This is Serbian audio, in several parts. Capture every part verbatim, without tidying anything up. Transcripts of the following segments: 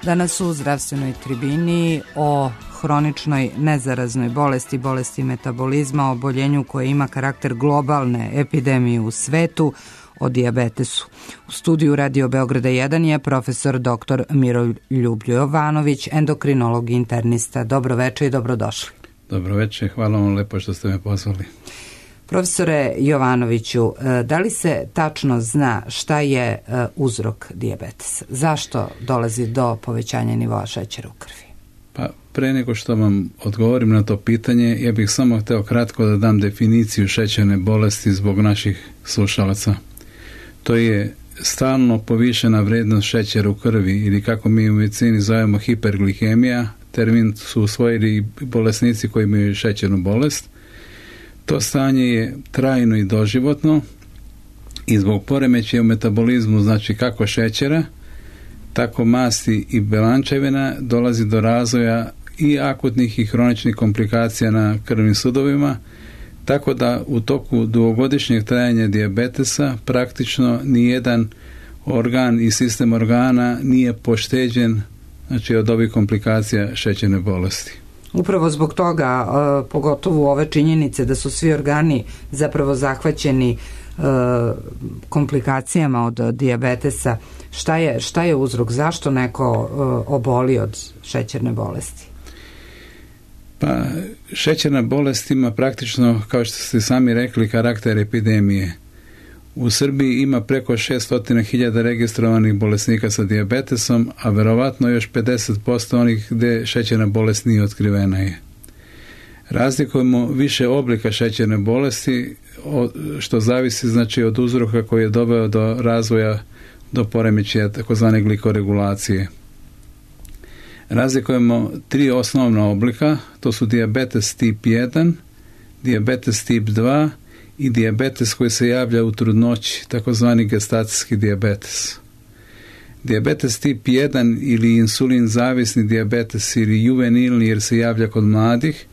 Danas u zdravstvenoj tribini o hroničnoj nezaraznoj bolesti, bolesti metabolizma, oboljenju koje ima karakter globalne epidemije u svetu, o dijabetesu. U studiju Radio Beograda jedan je profesor doktor Miroljub Jovanović, endokrinolog i internista. Dobro večer i dobrodošli. Dobro večer, hvala vam lepo što ste me pozvali. Profesore Jovanoviću, da li se tačno zna šta je uzrok dijabetesa? Zašto dolazi do povećanja nivoa šećera u krvi? Pa pre nego što vam odgovorim na to pitanje, ja bih samo hteo kratko da dam definiciju šećerne bolesti zbog naših slušalaca. To je stalno povišena vrednost šećera u krvi ili kako mi u medicini zovemo hiperglikemija, termin su usvojili i bolesnici koji imaju šećernu bolest. To stanje je trajno i doživotno i zbog poremećaja u metabolizmu, znači kako šećera, tako masti i belančevina, dolazi do razvoja i akutnih i hroničnih komplikacija na krvnim sudovima, tako da u toku dugogodišnjeg trajanja dijabetesa praktično nijedan organ i sistem organa nije pošteđen, znači, od ovih komplikacija šećerne bolesti. Upravo zbog toga, pogotovo ove činjenice da su svi organi zapravo zahvaćeni komplikacijama od dijabetesa, šta je, šta je uzrok? Zašto neko oboli od šećerne bolesti? Pa, šećerna bolest ima praktično, kao što ste sami rekli, karakter epidemije. U Srbiji ima preko šesto hiljada registrovanih bolesnika sa dijabetesom, a verovatno još pedeset posto onih gde šećerna bolest nije otkrivena je. Razlikujemo više oblika šećerne bolesti, što zavisi, znači, od uzroka koji je doveo do razvoja, do poremećaja takozvane glikoregulacije. Razlikujemo tri osnovna oblika, to su dijabetes tip jedan, dijabetes tip dva i dijabetes koji se javlja u trudnoći, takozvani gestacijski dijabetes. Dijabetes tip jedan ili insulin zavisni dijabetes ili juvenilni, jer se javlja kod mladih,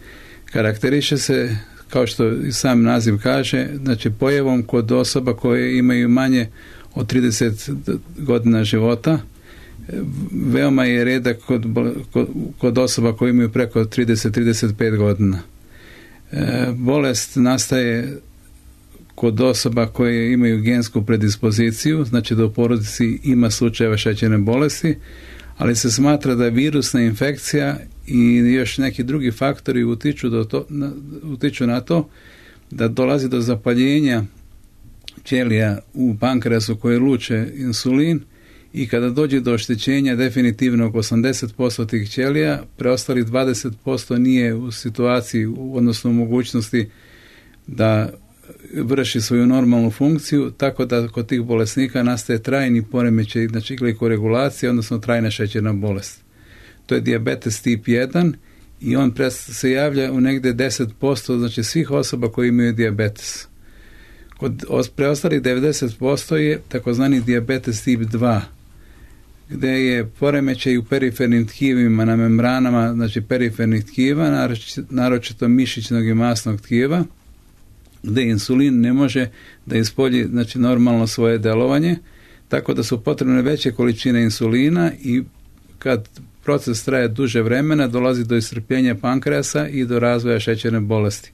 karakteriše se, kao što i sam naziv kaže, znači pojavom kod osoba koje imaju manje od trideset godina života. Veoma je redak kod, kod, kod osoba koje imaju preko trideset do trideset pet godina. E, bolest nastaje kod osoba koje imaju gensku predispoziciju, znači da u porodici ima slučajeva šećerne bolesti, ali se smatra da je virusna infekcija i još neki drugi faktori utiču, do to, na, utiču na to da dolazi do zapaljenja ćelija u pankreasu koje luče insulin i kada dođe do oštećenja definitivnog osamdeset posto tih ćelija, preostalih dvadeset posto nije u situaciji, odnosno u mogućnosti da vrši svoju normalnu funkciju, tako da kod tih bolesnika nastaje trajni poremećaj, znači glikoregulacija, odnosno trajna šećerna bolest. To je dijabetes tip jedan i on se javlja u negde deset posto, znači svih osoba koji imaju dijabetes. Kod preostalih devedeset posto je takozvani dijabetes tip dva, gde je poremećaj u perifernim tkivima na membranama, znači perifernih tkiva, naročito mišićnog i masnog tkiva, gde insulin ne može da ispolji, znači, normalno svoje delovanje, tako da su potrebne veće količine insulina i kad proces traje duže vremena dolazi do iscrpljenja pankreasa i do razvoja šećerne bolesti.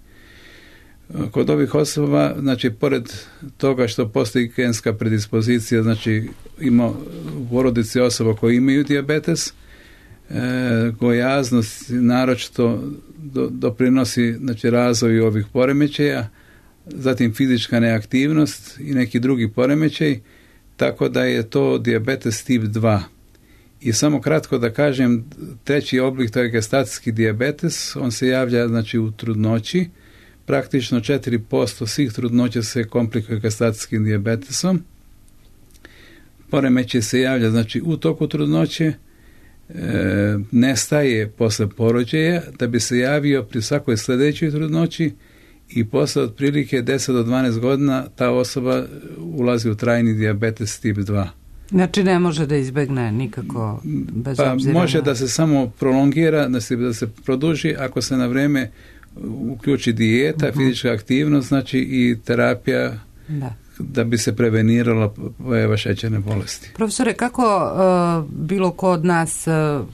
Kod ovih osoba, znači, pored toga što postoji genska predispozicija, znači ima u porodici osoba koji imaju dijabetes, e, gojaznost naročito do, doprinosi, znači, razvoju ovih poremećaja, zatim fizička neaktivnost i neki drugi poremećaj, tako da je to dijabetes tip dva. I samo kratko da kažem, treći oblik, to je gestacijski dijabetes, on se javlja, znači, u trudnoći. Praktično četiri posto svih trudnoća se komplikuje gestacijskim dijabetesom. Poremećaj se javlja, znači, u toku trudnoće, e, nestaje posle porođaja, da bi se javio pri svakoj sledećoj trudnoći i posle otprilike deset do dvanaest godina ta osoba ulazi u trajni dijabetes tip dva. Znači ne može da izbegne nikako bez pa obzira može na... da se samo prolongira, da se, da se produži ako se na vreme uključi dijeta, uh-huh. fizička aktivnost, znači i terapija da. da bi se prevenirala pojava šećerne bolesti. Profesore, kako uh, bilo ko od nas, uh,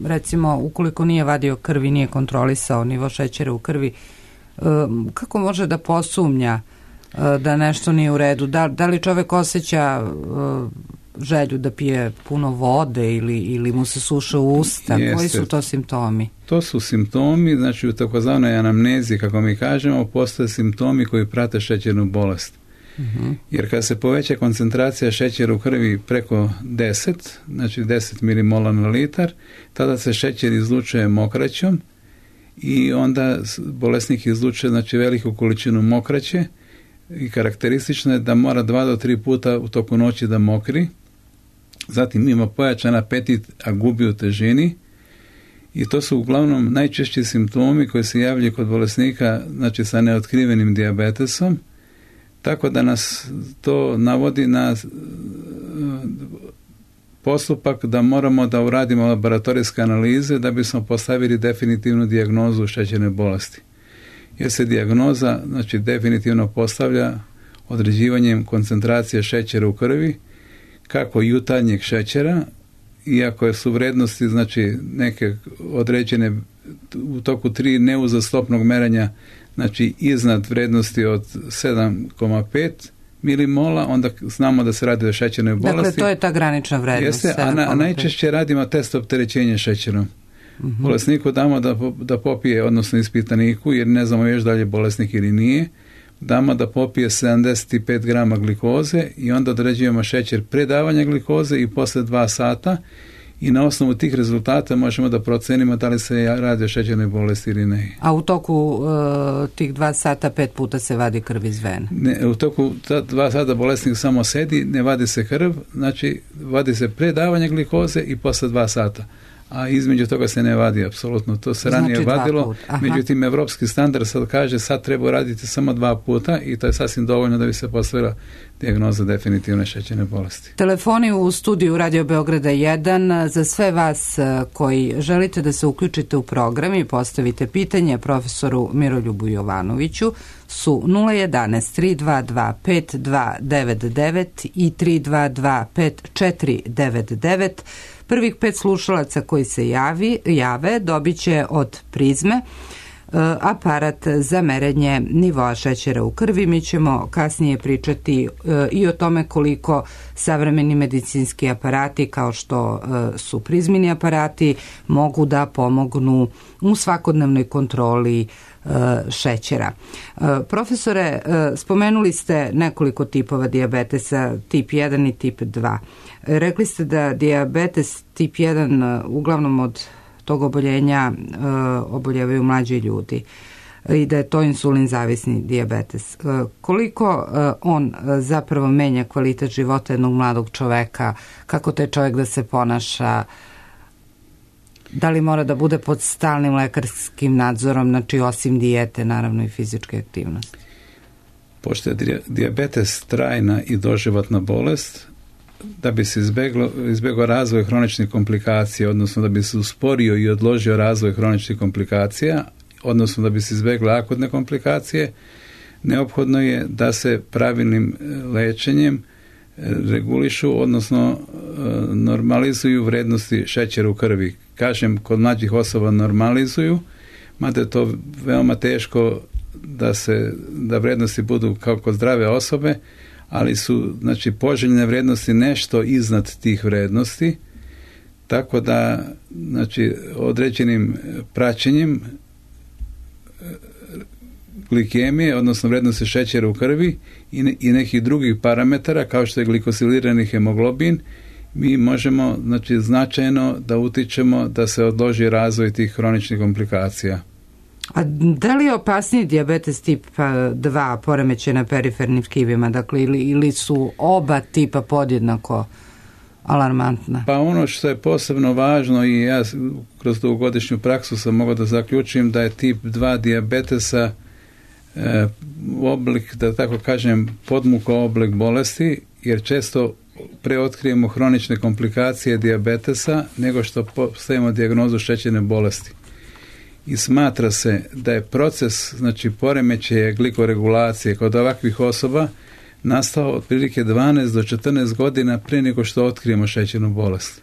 recimo, ukoliko nije vadio krvi, nije kontrolisao nivo šećera u krvi, uh, kako može da posumnja uh, da nešto nije u redu? Da, da li čovek osjeća uh, želju da pije puno vode ili, ili mu se suše usta? Jeste. Koji su to simptomi? To su simptomi, znači u takozvanoj anamnezi, kako mi kažemo, postoje simptomi koji prate šećernu bolest. Uh-huh. Jer kad se poveća koncentracija šećera u krvi preko deset, znači deset milimola na litar, tada se šećer izlučuje mokraćom i onda bolesnik izlučuje, znači, veliku količinu mokraće i karakteristično je da mora dva do tri puta u toku noći da mokri. Zatim ima pojačan apetit, a gubi u težini, i to su uglavnom najčešći simptomi koji se javljaju kod bolesnika, znači sa neotkrivenim dijabetesom, tako da nas to navodi na postupak da moramo da uradimo laboratorijske analize da bismo postavili definitivnu dijagnozu šećerne bolesti. Jer se dijagnoza, znači, definitivno postavlja određivanjem koncentracije šećera u krvi, kako jutarnjeg šećera, iako su vrednosti, znači, neke određene u toku tri neuzastopnog merenja, znači iznad vrednosti od sedam zarez pet milimola, onda znamo da se radi o šećernoj bolesti. Dakle, to je ta granična vrednost. Jeste, a, na, a najčešće radimo test opterećenja šećerom. Uh-huh. Bolesniku damo da, da popije, odnosno ispitaniku, jer ne znamo još da li je bolesnik ili nije, damo da popije sedamdeset pet grama glikoze i onda određujemo šećer pre davanja glikoze i posle dva sata, i na osnovu tih rezultata možemo da procenimo da li se radi o šećernoj bolesti ili ne. A u toku uh, tih dva sata pet puta se vadi krv iz vene? Ne, u toku ta dva sata bolesnik samo sedi, ne vadi se krv, znači vadi se pre davanja glikoze i posle dva sata. A između toga se ne vadi apsolutno. To se ranije znači vadilo, međutim evropski standard sad kaže sad treba raditi samo dva puta i to je sasvim dovoljno da bi se postavila dijagnoza definitivne šećerne bolesti. Telefoni u studiju Radio Beograda jedan za sve vas koji želite da se uključite u program i postavite pitanje profesoru Miroljubu Jovanoviću su nula jedanaest tri dva dva pet dva devet devet i tri dva dva pet četiri devet devet. Prvih pet slušalaca koji se javi, jave dobit će od Prizme aparat za merenje nivoa šećera u krvi. Mi ćemo kasnije pričati i o tome koliko savremeni medicinski aparati kao što su Prizmini aparati mogu da pomognu u svakodnevnoj kontroli šećera. Profesore, spomenuli ste nekoliko tipova dijabetesa, tip jedan i tip dva. Rekli ste da dijabetes tip jedan uglavnom od tog oboljenja oboljevaju mlađi ljudi i da je to insulin zavisni dijabetes. Koliko on zapravo menja kvalitet života jednog mladog čoveka, kako taj čovjek da se ponaša, da li mora da bude pod stalnim lekarskim nadzorom, znači osim dijete, naravno i fizičke aktivnosti? Pošto je dijabetes trajna i doživotna bolest, da bi se izbeglo, izbegao razvoj hroničnih komplikacija, odnosno da bi se usporio i odložio razvoj hroničnih komplikacija, odnosno da bi se izbegle akutne komplikacije, neophodno je da se pravilnim lečenjem regulišu, odnosno normalizuju vrednosti šećera u krvi. Kažem, kod mlađih osoba normalizuju, mada je to veoma teško da se da vrednosti budu kao kod zdrave osobe, ali su, znači, poželjne vrednosti nešto iznad tih vrednosti, tako da, znači, određenim praćenjem glikemije, odnosno vrednosti šećera u krvi i, ne, i nekih drugih parametara kao što je glikosilirani hemoglobin, mi možemo, znači, značajno da utičemo da se odloži razvoj tih hroničnih komplikacija. A da li je opasniji dijabetes tip dva poremećaj na perifernim tkivima, dakle, ili, ili su oba tipa podjednako alarmantna? Pa ono što je posebno važno, i ja kroz dugogodišnju praksu sam mogao da zaključim da je tip dva dijabetesa e, oblik, da tako kažem, podmuko oblik bolesti, jer često preotkrijemo hronične komplikacije dijabetesa nego što postavimo dijagnozu šećerne bolesti. I smatra se da je proces, znači, poremećaja glikoregulacije kod ovakvih osoba nastao otprilike dvanaest do četrnaest godina pre nego što otkrijemo šećernu bolest.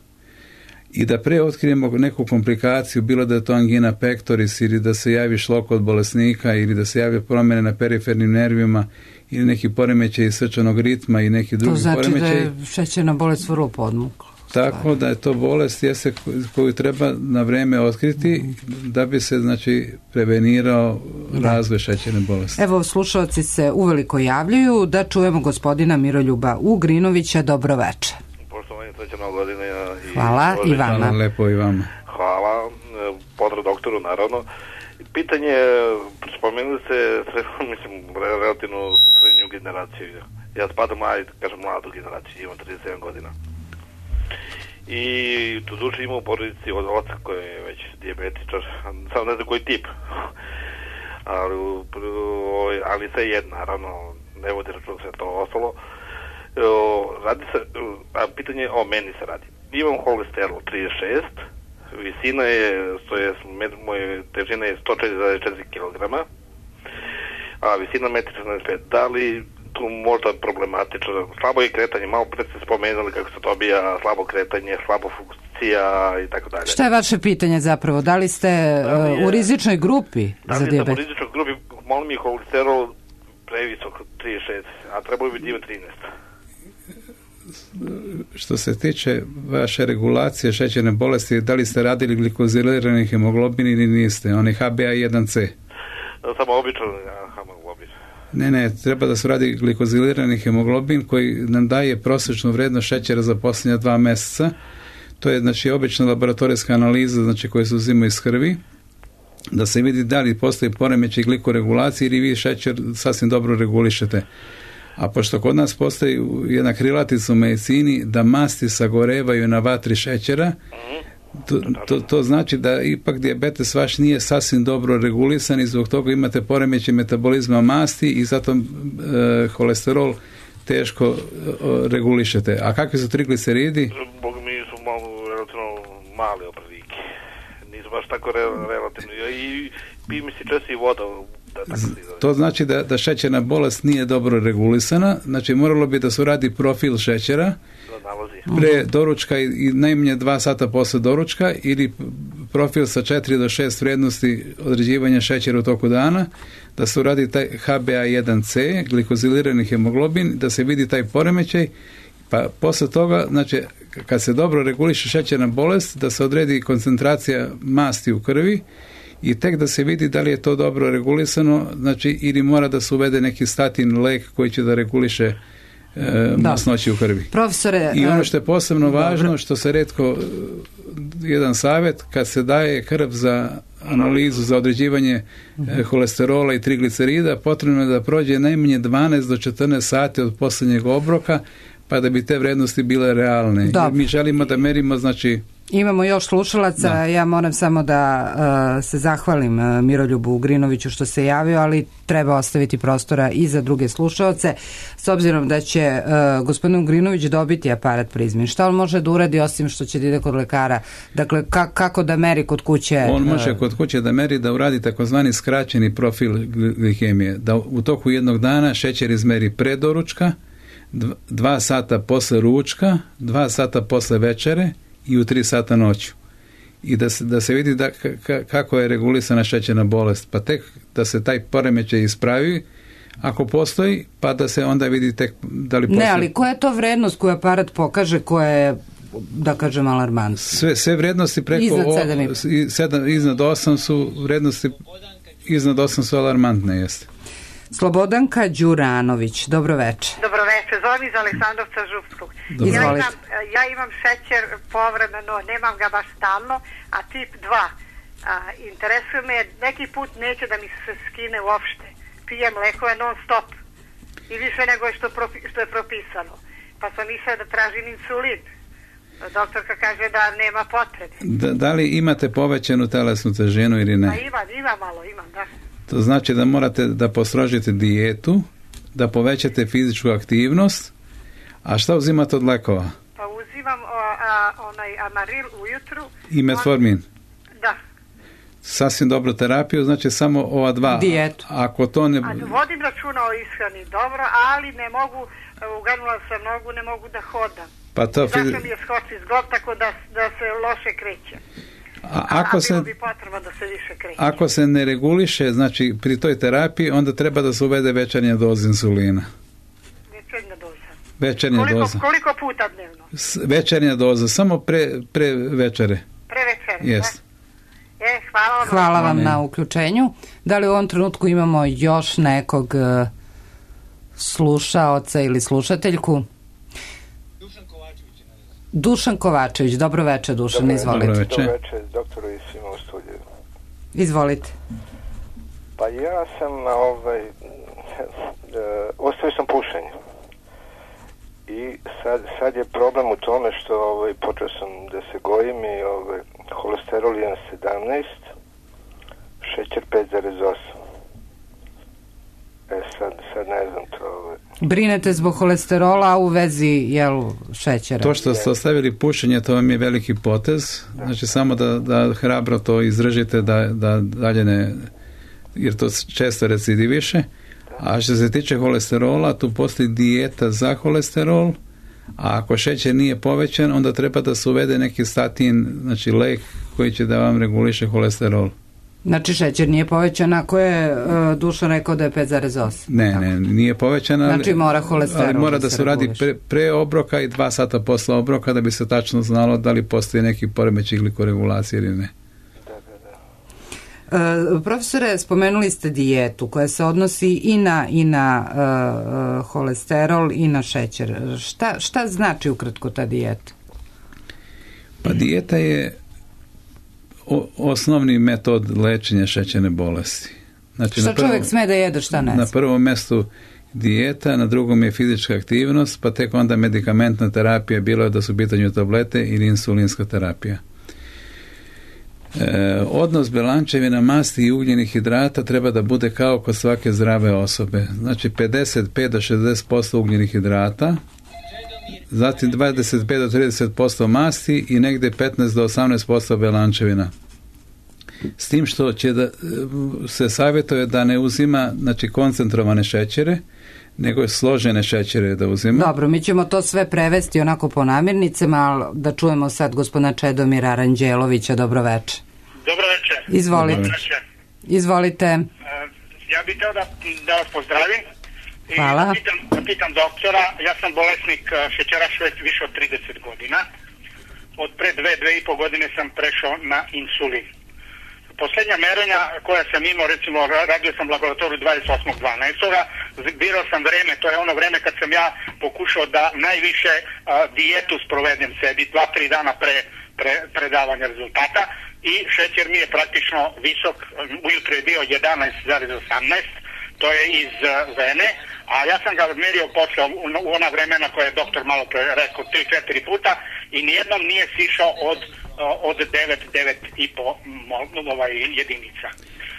I da pre otkrijemo neku komplikaciju, bilo da je to angina pectoris ili da se javi šlok kod bolesnika ili da se javi promjene na perifernim nervima ili neki poremećaj srčanog ritma i neki drugi poremećaj. To znači poremećaj. Da je šećerna bolest vrlo podmukla. Tako da je to bolest jeste koju treba na vreme otkriti da bi se znači prevenirao da. razvoj šećerne bolesti. Evo, slušalci se uveliko javljaju, da čujemo gospodina Miroljuba Ugrinovića. Dobro večer. Poštovanje, srećna godina. I Hvala i vama. Hvala lepo i vama. Hvala, pozdrav doktoru naravno. Pitanje, spomenuli ste, mislim, relativno srednju generaciju. Ja spadam, ajde, kažem, mladu generaciju, imam trideset sedam godina. I tu duše imam u porodici od oca koji je već dijabetičar, samo ne znam koji tip. ali, ali sve jedno, naravno, ne vodi račun sve to ostalo. Radi se, a pitanje o meni se radi. Imam holesterol trideset šest, visina je, to je, moje težina je sto četiri zarez četiri kilograma, a visina jedan četrnaest pet. Da li tu možda problematično? Slabo je kretanje, malo pre ste spomenuli kako se to bija, slabo kretanje, slabo funkcija i tako dalje. Šta je vaše pitanje zapravo? Da li ste da li je, u rizičnoj grupi da za dijabet? Da li sam u rizičnoj grupi, molim mi holesterol previsok trideset šest, a trebalo bi imati trinaest. Što se tiče vaše regulacije šećerne bolesti, da li ste radili glikozilirani hemoglobin ili niste? On je H b A jedan C. Samo obično hemoglobin. Ne, ne, treba da se radi glikozilirani hemoglobin koji nam daje prosječnu vrednost šećera za posljednja dva mjeseca. To je znači obična laboratorijska analiza, znači koja se uzima iz krvi, da se vidi da li postoji poremećaj glikoregulacije ili vi šećer sasvim dobro regulišete. A pošto kod nas postoji jedna krilatica u medicini da masti sagorevaju na vatri šećera, to, to, to znači da ipak dijabetes vaš nije sasvim dobro regulisan i zbog toga imate poremećaj metabolizma masti i zato e, holesterol teško e, regulišete. A kakvi su trigliceridi? Bog mi su malo relativno male opredike. Nisu baš tako re, relativno. I pi mi se često i voda. Da, to znači da, da šećerna bolest nije dobro regulisana, znači moralo bi da se radi profil šećera pre doručka i, i najmanje dva sata posle doručka ili profil sa četiri do šest vrijednosti određivanja šećera u toku dana, da se uradi taj H b A jedan C, glikozilirani hemoglobin, da se vidi taj poremećaj, pa posle toga, znači kad se dobro reguliše šećerna bolest, da se odredi koncentracija masti u krvi i tek da se vidi da li je to dobro regulisano, znači ili mora da se uvede neki statin lek koji će da reguliše e, masnoći u krvi. Profesore, i ono što je posebno dobro. Važno, što se retko, jedan savjet, kad se daje krv za analizu, za određivanje e, holesterola i triglicerida, potrebno je da prođe najmanje dvanaest do četrnaest sati od posljednjeg obroka, pa da bi te vrednosti bile realne. Jer mi želimo da merimo, znači imamo još slušalaca, da. Ja moram samo da uh, se zahvalim uh, Miroljubu Ugrinoviću što se javio, ali treba ostaviti prostora i za druge slušalce, s obzirom da će uh, gospodin Ugrinović dobiti aparat Prizmin. Šta on može da uradi osim što će da ide kod lekara? Dakle, ka, kako da meri kod kuće? On može kod kuće da meri, da uradi takozvani skraćeni profil glikemije, da u toku jednog dana šećer izmeri pre doručka, dva, dva sata posle ručka, dva sata posle večere i u tri sata noću. I da se, da se vidi da, k- kako je regulisana šećerna bolest. Pa tek da se taj poremećaj ispravi, ako postoji, pa da se onda vidi tek da li postoji. Ne, ali koja je to vrednost koju aparat pokaže, koja je, da kažem, alarmantna? Sve, sve vrednosti preko iznad, o, sedam. sedam, iznad osam su vrednosti, iznad osam su alarmantne, jeste. Slobodanka Đuranović, dobro večer. Dobro večer, zovem iz Aleksandrovca Župskog. Ja imam, ja imam šećer povremeno, nemam ga baš stalno, a tip dva. A, interesuje me, neki put neće da mi se skine uopšte. Pijem lekove non stop i više nego što, propi, što je propisano. Pa sam mislila da tražim insulin. Doktorka kaže da nema potrebe. Da, da li imate povećanu telesnu težinu ili ne? A imam, imam malo, imam, da. To znači da morate da postrožite dijetu, da povećate fizičku aktivnost. A šta uzimate od lekova? Pa uzimam o, a, onaj amaril ujutru. I metformin? On, da. sasvim dobru terapiju, znači samo ova dva. Dijetu. Ako to ne... A vodim računa o ishrani dobro, ali ne mogu, uganula sam nogu, ne mogu da hodam. Pa to... Zašto mi je skoči zglob, tako da, da se loše kreće. A, ako a se, bilo bi potreba da se više kreće. Ako se ne reguliše, znači pri toj terapiji, onda treba da se uvede večernja doza insulina. Večernja doza. Večernja koliko, doza. Koliko puta dnevno? S, večernja doza, samo pre, pre večere. Pre večere, yes. da? E, hvala vam. Hvala vam na uključenju. Da li u ovom trenutku imamo još nekog uh, slušaoca ili slušateljku? Dušan Kovačević. Dušan Kovačević, dobro večer Dušan, dobro, izvolite. Dobro večer. Dobro večer, doktoru i svima u studiju. Izvolite. Pa ja sam, ovaj, ostavio sam pušenje. I sad, sad je problem u tome što ovaj, počeo sam da se gojim i ovaj, holesterol jedan zarez sedamnaest, šećer pet zarez osam. E sad, sad ne znam to. Ovaj. Brinete zbog holesterola, a u vezi jel, šećera? To što ste ostavili pušenje, to vam je veliki potez. Da. Znači samo da, da hrabro to izražite, da, da dalje ne, jer to često recidiviše. A što se tiče holesterola, tu postoji dijeta za holesterol, a ako šećer nije povećan, onda treba da se uvede neki statin, znači lek koji će da vam reguliše holesterol. Znači šećer nije povećan ako je uh, Dušan rekao da je pet zarez osam. Ne, ne, nije povećan, ali, znači mora holesterol ali mora da, da se radi pre, pre obroka i dva sata posle obroka da bi se tačno znalo da li postoji neki poremećaj glikoregulacije ili ne. Uh, profesore, spomenuli ste dijetu koja se odnosi i na, i na uh, holesterol i na šećer. Šta, šta znači ukratko ta dijeta? Pa dijeta je o, osnovni metod lečenja šećerne bolesti. Znači, šta čovjek sme da jede, šta ne? Na prvom mestu dijeta, na drugom je fizička aktivnost, pa tek onda medikamentna terapija, bilo je da su u pitanju tablete ili insulinska terapija. E, odnos belančevina, masti i ugljenih hidrata treba da bude kao kod svake zdrave osobe. Znači pedeset pet do šezdeset posto ugljenih hidrata, zatim dvadeset pet do trideset posto masti i negde petnaest do osamnaest posto belančevina. S tim što će da se savjetuje da ne uzima znači koncentrovane šećere, nego složene šećere da uzima. Dobro, mi ćemo to sve prevesti onako po namirnicama, ali da čujemo sad gospodina Čedomira Aranđelovića. Dobro večer. Dobro večer. Izvolite. Dobro večer. Izvolite. Ja bih teo da, da vas pozdravim. I hvala. Da pitam, da pitam doktora, ja sam bolesnik šećeraš već više od trideset godina. Od pre dve, dve i po godine sam prešao na insulin. Posljednja merenja koja sam imao, recimo radio sam laboratoriju dvadeset osmog dvanaestog birao sam vreme, to je ono vreme kad sam ja pokušao da najviše a, dijetu sprovedem sebi, dva, tri dana pre, pre predavanja rezultata i šećer mi je praktično visok, ujutro je bio jedanaest zarez osamnaest, to je iz uh, vene, a ja sam ga merio posle u, u ona vremena koje je doktor malo pre rekao tri četiri puta i nijednom nije sišao od od devet, devet i po ovaj, jedinica.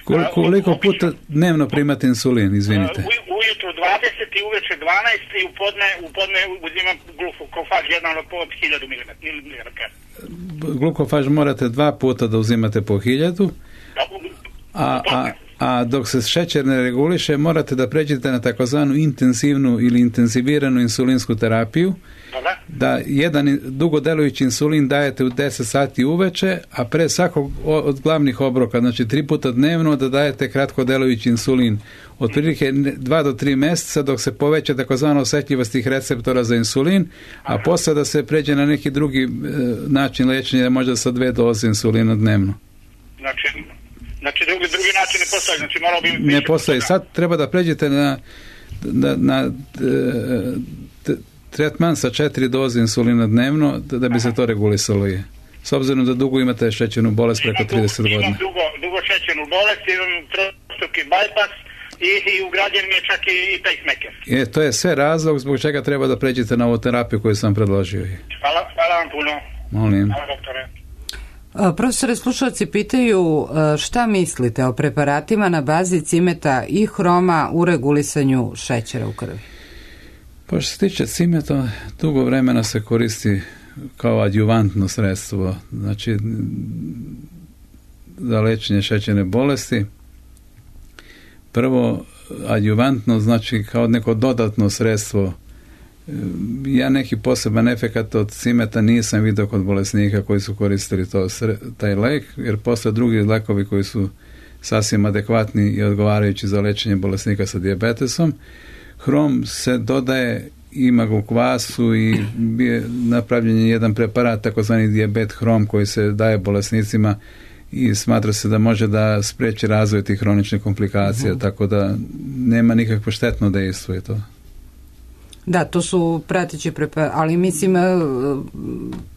Koliko, koliko puta dnevno primate insulin, izvinite? U, ujutru dvadeset i uveče dvanaest i u podne, u podne uzimam glukofaž jedan od po hiljadu miligrama. Glukofaž morate dva puta da uzimate po hiljadu, a, a, a dok se šećer ne reguliše morate da pređete na takozvanu intenzivnu ili intenziviranu insulinsku terapiju, da jedan dugodelujući insulin dajete u deset sati uveče, a pre svakog od glavnih obroka, znači tri puta dnevno, da dajete kratkodelujući insulin. Otprilike dva do tri mjeseca dok se poveća takozvano osjetljivost tih receptora za insulin, a posle da se pređe na neki drugi e, način lečenja, možda sa dve doze insulina dnevno. Znači, znači drugi, drugi način ne postoji, znači morao bi... Ne postoji. Sad treba da pređete na, na, na t, tretman sa četiri doze insulina dnevno da, da bi se to regulisalo je. S obzirom da dugo imate šećernu bolest preko trideset godina. Imam dugo, dugo šećernu bolest, imam trostruki bypass i, i ugrađen mi je čak i, i pacemaker. E, to je sve razlog zbog čega treba da pređete na ovu terapiju koju sam predložio. Hvala, hvala vam puno. Molim. Hvala, doktore. Profesore, slušalci pitaju šta mislite o preparatima na bazi cimeta i hroma u regulisanju šećera u krvi? Pa što se tiče cimeta, dugo vremena se koristi kao adjuvantno sredstvo. Znači, za liječenje šećerne bolesti. Prvo, adjuvantno, znači kao neko dodatno sredstvo. Ja neki poseban efekat od cimeta nisam vidio kod bolesnika koji su koristili to, taj lek, jer postoje drugi lekovi koji su sasvim adekvatni i odgovarajući za liječenje bolesnika sa dijabetesom. Hrom se dodaje, ima ga u kvasu i je napravljen je jedan preparat, takozvani dijabet hrom, koji se daje bolesnicima i smatra se da može da spriječi razvoj tih hroničnih komplikacija, uh-huh. tako da nema nikakvo štetno dejstvo je to. Da, to su prateći preparati, ali mislim,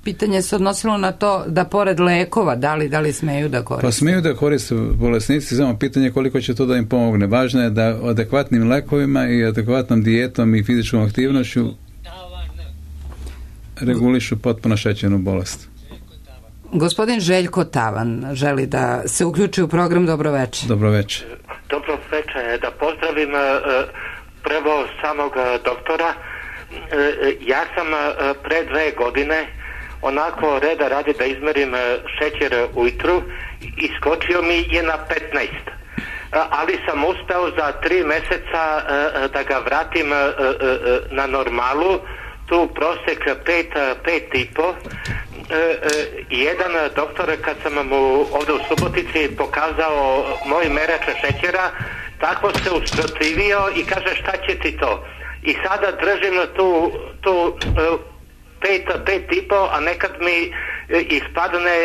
pitanje se odnosilo na to da pored lekova, da li, da li smeju da koriste? Pa smeju da koriste bolesnici, samo pitanje koliko će to da im pomogne. Važno je da adekvatnim lekovima i adekvatnom dijetom i fizičkom aktivnošću regulišu potpuno šećernu bolest. Gospodin Željko Tavan želi da se uključi u program. Dobro večer. Dobro večer. Dobro večer, da pozdravim prvo samog doktora. Ja sam pre dve godine onako reda radi da izmerim šećer ujutru, iskočio mi je na petnaest, ali sam uspeo za tri meseca da ga vratim na normalu, tu prosek pet, pet i po. Jedan doktor, kad sam mu ovdje u Subotici pokazao moj merač šećera, tako se usprotivio i kaže šta će ti to? I sada držim tu, tu pet, pet i po, a nekad mi ispadne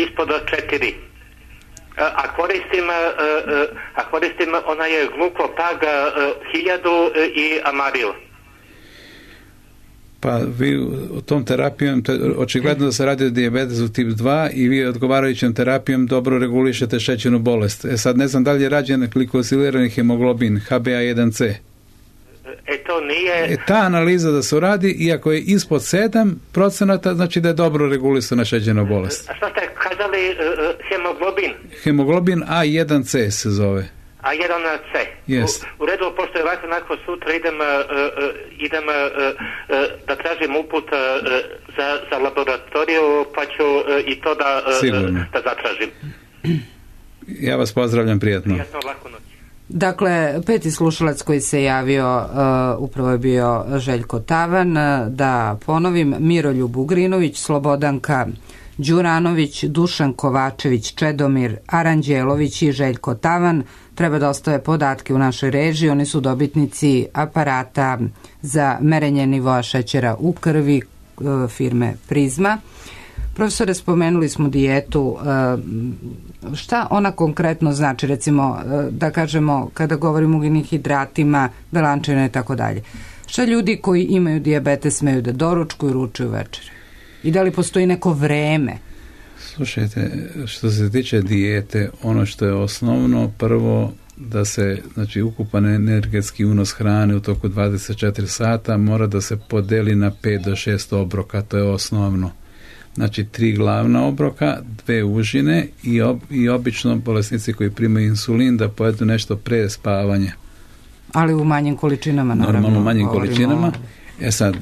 ispod četiri. A koristim, a koristim onaj glukopag hiljadu i amaril. Pa vi u tom terapijom, očigledno da se radi o dijabetesu tip dva i vi odgovarajućom terapijom dobro regulišete šećernu bolest. E sad ne znam da li je rađen glikosilirani hemoglobin H b A jedan C. E to nije... E, ta analiza da se uradi, iako je ispod sedam procenata, znači da je dobro regulisana šećerna bolest. A šta ste kazali uh, hemoglobin? Hemoglobin A jedan C se zove. A jedan C. Yes. U, u redu, pošto je ovako nakon sutra idem, uh, uh, idem uh, uh, da tražim uput uh, za, za laboratoriju, pa ću uh, i to da, uh, da zatražim. Ja vas pozdravljam, prijatno. Prijatno, laku noć. Dakle, peti slušalac koji se javio uh, upravo je bio Željko Tavan. Da ponovim, Miroljub Ugrinović, Slobodanka Đuranović, Dušan Kovačević, Čedomir Aranđelović i Željko Tavan treba da ostave podatke u našoj režiji. Oni su dobitnici aparata za merenje nivoa šećera u krvi uh, firme Prizma. Profesore, spomenuli smo dijetu. Šta ona konkretno znači? Recimo, da kažemo, kada govorimo o ugljenim hidratima, belančevine i tako dalje. Šta ljudi koji imaju dijabetes smeju da doručkuju, ručaju, večeri? I da li postoji neko vreme? Slušajte, što se tiče dijete, ono što je osnovno, prvo da se, znači, ukupan energetski unos hrane u toku dvadeset četiri sata mora da se podeli na pet do šest obroka, to je osnovno. Znači, tri glavna obroka, dve užine i, ob, i obično bolesnici koji primaju insulin da pojedu nešto pre spavanja. Ali u manjim količinama, naravno. Normalno u manjim količinama. E sad,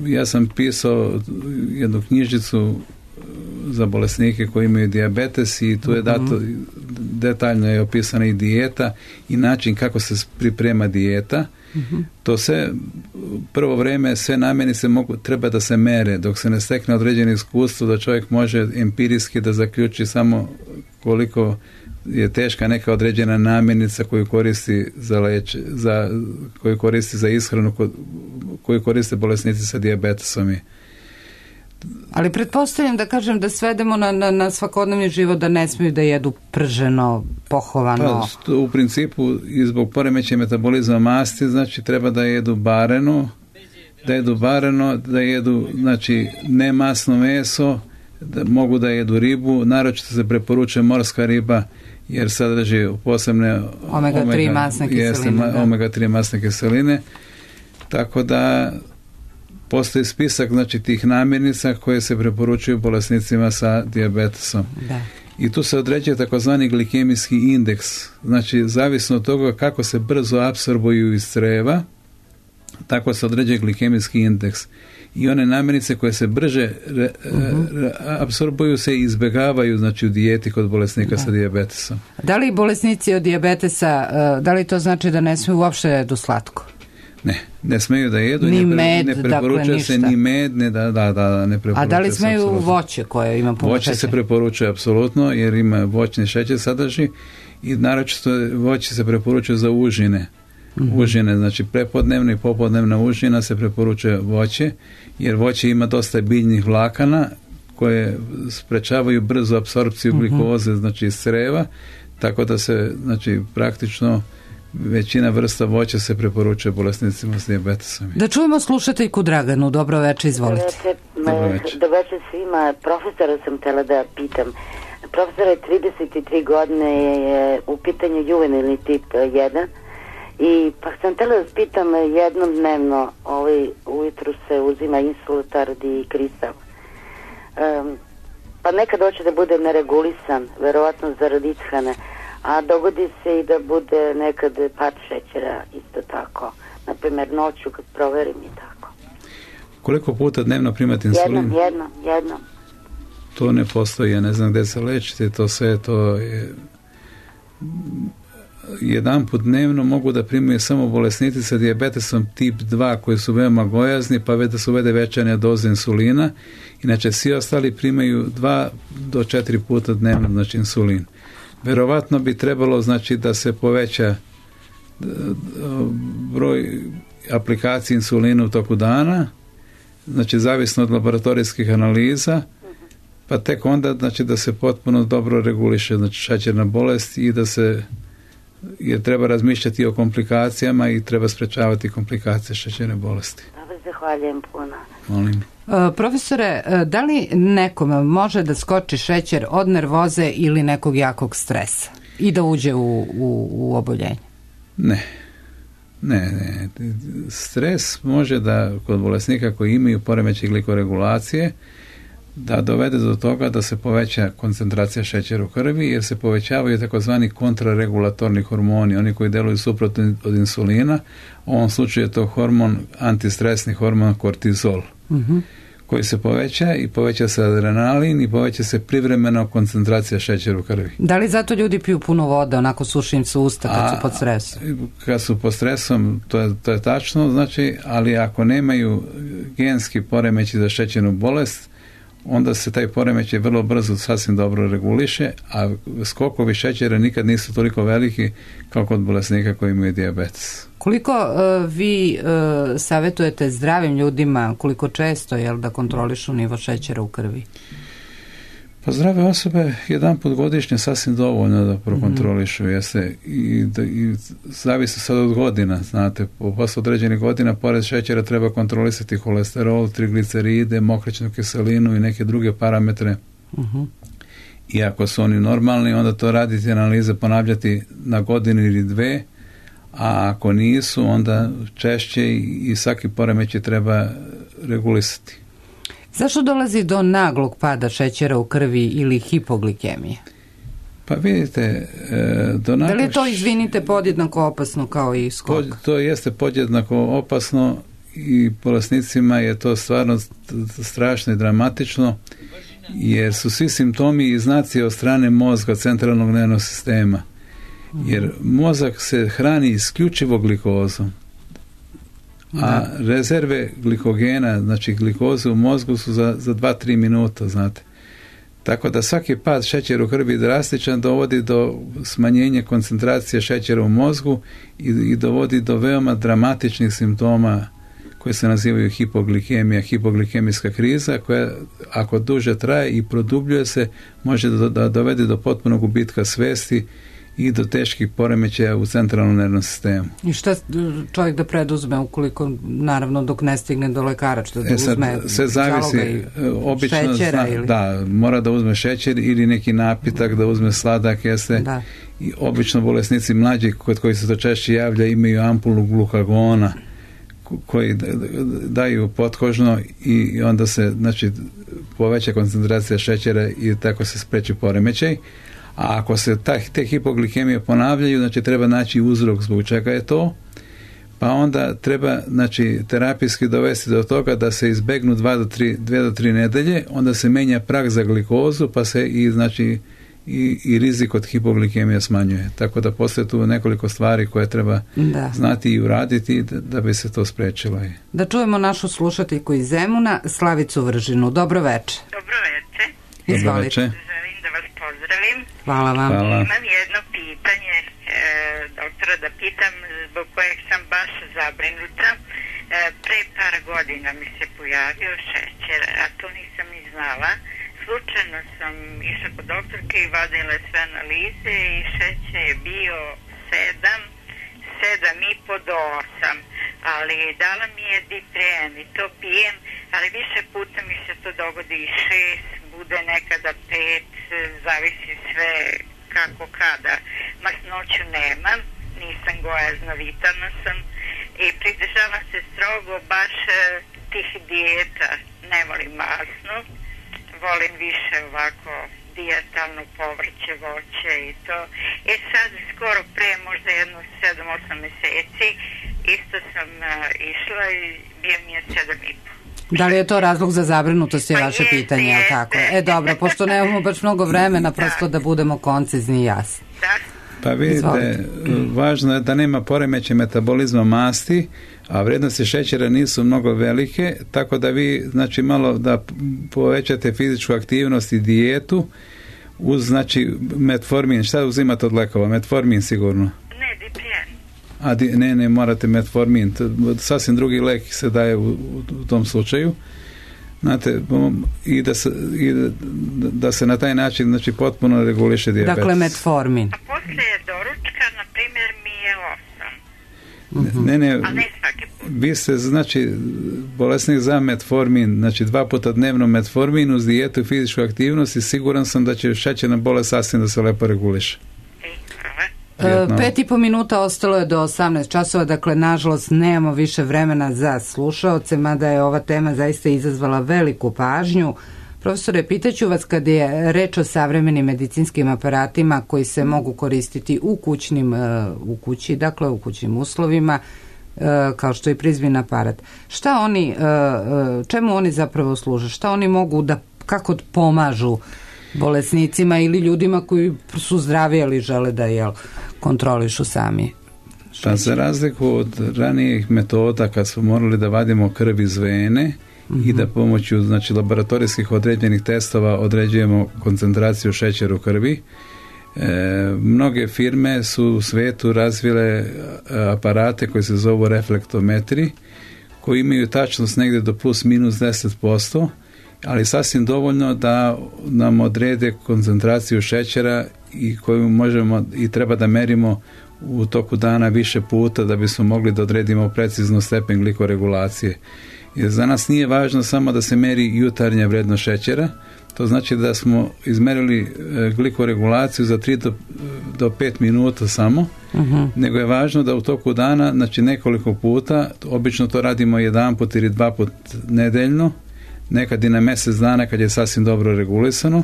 ja sam pisao jednu knjižicu za bolesnike koji imaju dijabetes i tu je dato, detaljno je opisana i dijeta i način kako se priprema dijeta. Uh-huh. To se prvo vrijeme sve namirnice mogu, treba da se mere dok se ne stekne određeno iskustvo da čovjek može empirijski da zaključi samo koliko je teška neka određena namirnica koju koristi za leć, za, koju koristi za ishranu, koju koriste bolesnici sa dijabetesom. Ali pretpostavljam da kažem da svedemo na, na, na svakodnevni život da ne smiju da jedu prženo, pohovano. Pa, u principu i zbog poremećaja metabolizma masti, znači treba da jedu bareno, da jedu bareno, da jedu, znači, ne masno meso, da mogu da jedu ribu, naročito se preporučuje morska riba jer sadrži posebne omega tri masne kiseline. Jeste, omega tri masne kiseline. Tako da postoji spisak, znači, tih namirnica koje se preporučuju bolesnicima sa dijabetesom. Da. I tu se određuje takozvani glikemijski indeks. Znači, zavisno od toga kako se brzo apsorbuju iz creva, tako se određuje glikemijski indeks. i one namirnice koje se brže re, uh-huh. re, apsorbuju se i izbjegavaju, znači, u dijeti kod bolesnika da. sa dijabetesom. Da li bolesnici od dijabetesa, da li to znači da ne smiju uopšte jedu slatko? Ne, ne smeju da jedu, ni ne, pre, med, ne preporučuje dakle, se ni med, ne, da, da, da, ne preporučuje. A da li smeju se voće koje ima puno voće šećera? Se preporučuje apsolutno, jer ima voćni šećer sadrži i naročito voće se preporučuje za užine. Mm-hmm. Užine, znači prepodnevna i popodnevna užina se preporučuje voće, jer voće ima dosta biljnih vlakana koje sprečavaju brzu apsorpciju mm-hmm. glikoze, znači iz creva, tako da se, znači, praktično većina vrsta voća se preporučuje bolesnicima s dijabetesom. Da čujemo slušateljku Draganu. Dobro večer, izvolite. Dobro večer. Dobro večer svima. Profesora sam htjela da pitam. Profesor je trideset tri godine, je u pitanju juvenilni tip jedan i pa sam htjela da pitam, jednom dnevno ovaj, ujutru se uzima insultard i kristal. Um, pa nekad hoće da bude neregulisan, verovatno zaradi ishrane, a dogodi se i da bude nekad pad šećera isto tako. Naprimjer, noću kad proverim i tako. Koliko puta dnevno primate insulin? Jednom, jednom, jednom. To ne postoji, ja ne znam gdje se lečite, to sve to je... Jedan put dnevno mogu da primaju samo bolesnici sa dijabetesom tip dva koji su veoma gojazni, pa već da se uvede većanja doza insulina. Inače, svi ostali primaju dva do četiri puta dnevno, znači insulin. Verovatno bi trebalo, znači, da se poveća broj aplikacije insulina u toku dana, znači zavisno od laboratorijskih analiza, pa tek onda, znači, da se potpuno dobro reguliše, znači, šećerna bolest i da se, jer treba razmišljati o komplikacijama i treba sprečavati komplikacije šećerne bolesti. Dobro, zahvaljujem puno. Molim. Uh, profesore, da li nekome može da skoči šećer od nervoze ili nekog jakog stresa i da uđe u, u, u oboljenje? Ne. Ne, ne. Stres može da kod bolesnika koji imaju poremećaj glikoregulacije da dovede do toga da se poveća koncentracija šećera u krvi, jer se povećavaju takozvani kontraregulatorni hormoni, oni koji deluju suprotno od insulina. U ovom slučaju je to hormon, antistresni hormon kortizol, uh-huh. koji se poveća i poveća se adrenalin i poveća se privremeno koncentracija šećera u krvi. Da li zato ljudi piju puno vode, onako suši im se usta kad A, su pod stresom? Kad su pod stresom, to je, to je tačno, znači, ali ako nemaju genski poremeći za šećernu bolest, onda se taj poremećaj vrlo brzo sasvim dobro reguliše, a skokovi šećera nikad nisu toliko veliki kao kod bolesnika koji imaju dijabetes. Koliko uh, vi uh, savjetujete zdravim ljudima, koliko često je da kontrolišu nivo šećera u krvi? Pa zdrave osobe jedan put godišnje sasvim dovoljno da prokontrolišu, mm-hmm. jeste, i, da, i zavisi sad od godina, znate, posle određenih godina pored šećera treba kontrolisati holesterol, trigliceride, mokraćnu kiselinu i neke druge parametre. Mm-hmm. I ako su oni normalni, onda to raditi analize, ponavljati na godinu ili dve, a ako nisu, onda češće i, i svaki poremećaj treba regulisati. Zašto dolazi do naglog pada šećera u krvi ili hipoglikemije? Pa vidite, do naglo... Da li je to, izvinite, podjednako opasno kao i skok? Pod, to jeste podjednako opasno i bolesnicima je to stvarno strašno i dramatično, jer su svi simptomi i znaci od strane mozga, centralnog nervnog sistema. Jer mozak se hrani isključivo glikozom. A rezerve glikogena, znači glikoze u mozgu su za, za dva do tri minuta, znate. Tako da svaki pad šećera u krvi drastičan dovodi do smanjenja koncentracije šećera u mozgu i, i dovodi do veoma dramatičnih simptoma koje se nazivaju hipoglikemija, hipoglikemijska kriza, koja ako duže traje i produbljuje se, može da, da dovede do potpunog gubitka svesti i do teških poremećaja u centralnom nervnom sistemu. I šta čovjek da preduzme ukoliko, naravno, dok ne stigne do lekara, što da e sad, uzme sve zavisi, obično šećera zna, ili... da, mora da uzme šećer ili neki napitak, da uzme sladak, jeste. Da. I obično bolesnici mlađi, kod koji se to češće javlja, imaju ampulu glukagona koji daju potkožno i onda se, znači, poveća koncentracija šećera i tako se spreči poremećaj. A ako se ta, te hipoglikemije ponavljaju, znači treba naći uzrok zbog čega je to, pa onda treba, znači, terapijski dovesti do toga da se izbegnu dva do tri, dve do tri nedelje, onda se menja prag za glikozu, pa se i, znači, i, i rizik od hipoglikemije smanjuje. Tako da postoje tu nekoliko stvari koje treba da. znati i uraditi da, da bi se to sprečilo. Da čujemo našu slušateljku iz Zemuna, Slavicu Vržinu. Dobro veče. Dobro veče. Izvolite. Želim da vas pozdravim. Hvala vam. Hvala. Imam jedno pitanje, e, doktora, da pitam, zbog kojeg sam baš zabrinuta. E, pre par godina mi se pojavio šećer, a to nisam ni znala. Slučajno sam išla kod doktorke i vadila sve analize i šećer je bio sedam, sedam i po do osam, ali dala mi je Dipren i to pijem, ali više puta mi se to dogodi i šest, bude nekada pet, zavisi sve kako kada. Masnoću nemam, nisam gojazna, vitalna sam i pridržavam se strogo baš tih dijeta, ne volim masno. Volim više ovako dijetalno povrće, voće i to. E sad skoro pre možda jedno sedam osam meseci isto sam uh, išla i bio mi je sedam i po. Da li je to razlog za zabrinutost je pa vaše jeste, pitanje, jeste. Tako? E dobro, pošto nemamo baš mnogo vremena, prosto da budemo koncizni i jasni. Da. Pa vidite, Izvolite. Važno je da nema poremećaja metabolizma masti, a vrednosti šećera nisu mnogo velike, tako da vi, znači, malo da povećate fizičku aktivnost i dijetu uz, znači, metformin. Šta uzimate od lekova? Metformin sigurno? Ne, Dipren. A, di, ne, ne, morate metformin. Sasvim drugi lek se daje u, u tom slučaju. Znate, i da se, i da, da se na taj način, znači, potpuno reguliše dijabetes. Dakle, metformin. A poslije doručka, na primjer, mi je osam. Ne, ne, a ne svaki put. Vi ste, znači, bolesnik za metformin, znači dva puta dnevno metformin uz dijetu i fizičku aktivnost i siguran sam da će šećerna bolest sasvim da se lepo reguliše. E, pet i po minuta ostalo je do osamnaest časova, dakle nažalost nemamo više vremena za slušaoce, mada je ova tema zaista izazvala veliku pažnju. Profesore, pitaću vas, kad je reč o savremenim medicinskim aparatima koji se mogu koristiti u kućnim, u kući, dakle u kućnim uslovima, kao što je prizmin aparat, šta oni, čemu oni zapravo služe, šta oni mogu da, kako pomažu bolesnicima ili ljudima koji su zdravi ali žele da jel, kontrolišu sami? Pa za razliku od ranijih metoda kad smo morali da vadimo krv iz vene mm-hmm. i da pomoću, znači, laboratorijskih određenih testova određujemo koncentraciju šećera u krvi, e, mnoge firme su u svetu razvile aparate koji se zovu reflektometri, koji imaju tačnost negdje do plus minus deset posto, ali sasvim dovoljno da nam odrede koncentraciju šećera i koju možemo i treba da merimo u toku dana više puta da bismo mogli da odredimo precizno stepen glikoregulacije. Jer za nas nije važno samo da se meri jutarnja vrednost šećera, to znači da smo izmerili glikoregulaciju za tri do pet minuta samo, uh-huh. nego je važno da u toku dana, znači nekoliko puta, obično to radimo jedan put ili dva put nedeljno, nekad i na mjesec dana kad je sasvim dobro regulisano,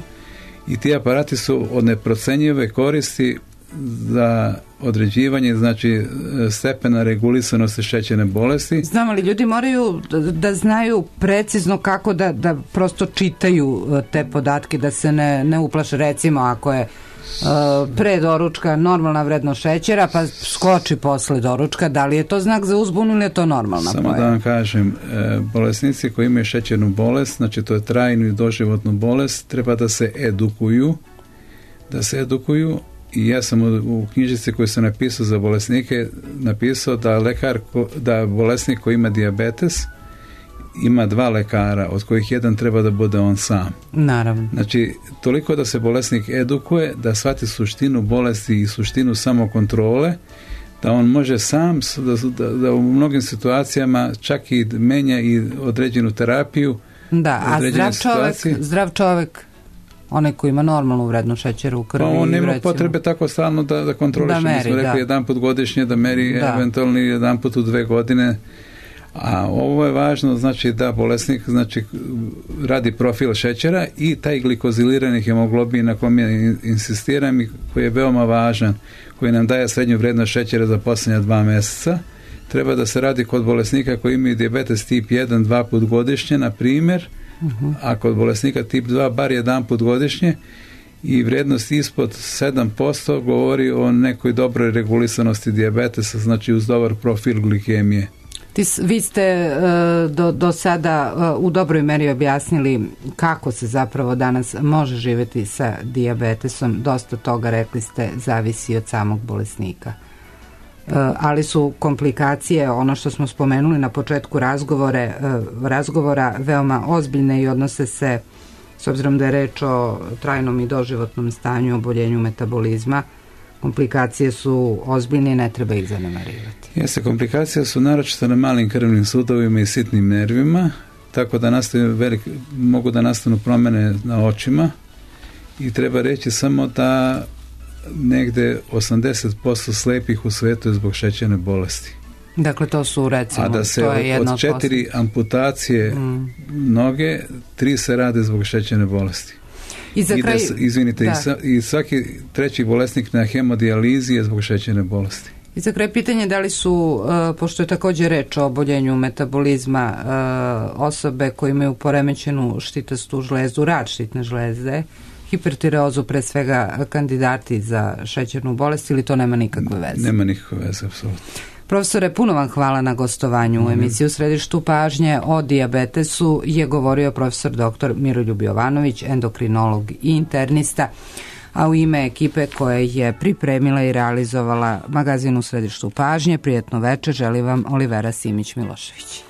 i ti aparati su od neprocenjive koristi za određivanje, znači, stepena regulisanosti šećerne bolesti. Znam, ali ljudi moraju da, da znaju precizno kako da, da prosto čitaju te podatke, da se ne, ne uplaše. Recimo, ako je uh, pre doručka normalna vrednost šećera, pa skoči posle doručka, da li je to znak za uzbunu ili je to normalna Samo pojava? Da vam kažem, e, bolesnici koji imaju šećernu bolest, znači to je trajnu i doživotnu bolest, treba da se edukuju, da se edukuju. I ja sam u, u knjižici koju sam napisao za bolesnike napisao da lekar, da bolesnik koji ima dijabetes ima dva lekara, od kojih jedan treba da bude on sam. Naravno. Znači, toliko da se bolesnik edukuje, da shvati suštinu bolesti i suštinu samokontrole, da on može sam, da, da, da u mnogim situacijama čak i menja i određenu terapiju. Da, a zdrav čovjek, zdrav čovjek, onaj koji ima normalnu vrednost šećera u krvi. Pa on nema potrebe tako stalno da, da kontroliše. Da meri, Mi smo rekli da. jedan put godišnje da meri, da. eventualno jedan put u dve godine. A ovo je važno, znači da bolesnik, znači, radi profil šećera i taj glikozilirani hemoglobin na kom ja insistiram i koji je veoma važan, koji nam daje srednju vrednost šećera za posljednja dva mjeseca. treba da se radi kod bolesnika koji imaju dijabetes tip jedan dva put godišnje, na primjer, uh-huh. a kod bolesnika tip dva bar jedan put godišnje, i vrijednost ispod sedam posto govori o nekoj dobroj regulisanosti dijabetesa, znači uz dobar profil glikemije. Vi ste uh, do, do sada uh, u dobroj meri objasnili kako se zapravo danas može živjeti sa dijabetesom. Dosta toga, rekli ste, zavisi od samog bolesnika. Uh, ali su komplikacije, ono što smo spomenuli na početku razgovore, uh, razgovora, veoma ozbiljne i odnose se, s obzirom da je reč o trajnom i doživotnom stanju, oboljenju metabolizma, komplikacije su ozbiljne i ne treba ih zanemarivati. Jeste, komplikacije su naročito na malim krvnim sudovima i sitnim nervima, tako da nastaju velik, mogu da nastanu promjene na očima, i treba reći samo da negde osamdeset posto slepih u svetu je zbog šećerne bolesti. Dakle, to su, recimo, a da se to je od, od četiri posto amputacije mm. noge, tri se rade zbog šećerne bolesti. I za kraj, I da, izvinite, da. I, sa, i svaki treći bolesnik na hemodijalizi je zbog šećerne bolesti. I za kraj pitanje, da li su, uh, pošto je također reč o oboljenju metabolizma, uh, osobe koje imaju poremećenu štitastu žlezu, rad štitne žleze, hipertireozu, pre svega kandidati za šećernu bolest, ili to nema nikakve veze? Nema nikakve veze, apsolutno. Profesore, puno vam hvala na gostovanju u emisiji U središtu pažnje. O dijabetesu je govorio profesor doktor Miroljub Jovanović, endokrinolog i internista, a u ime ekipe koja je pripremila i realizovala magazin U središtu pažnje, prijetno večer, želi vam Olivera Simić-Milošević.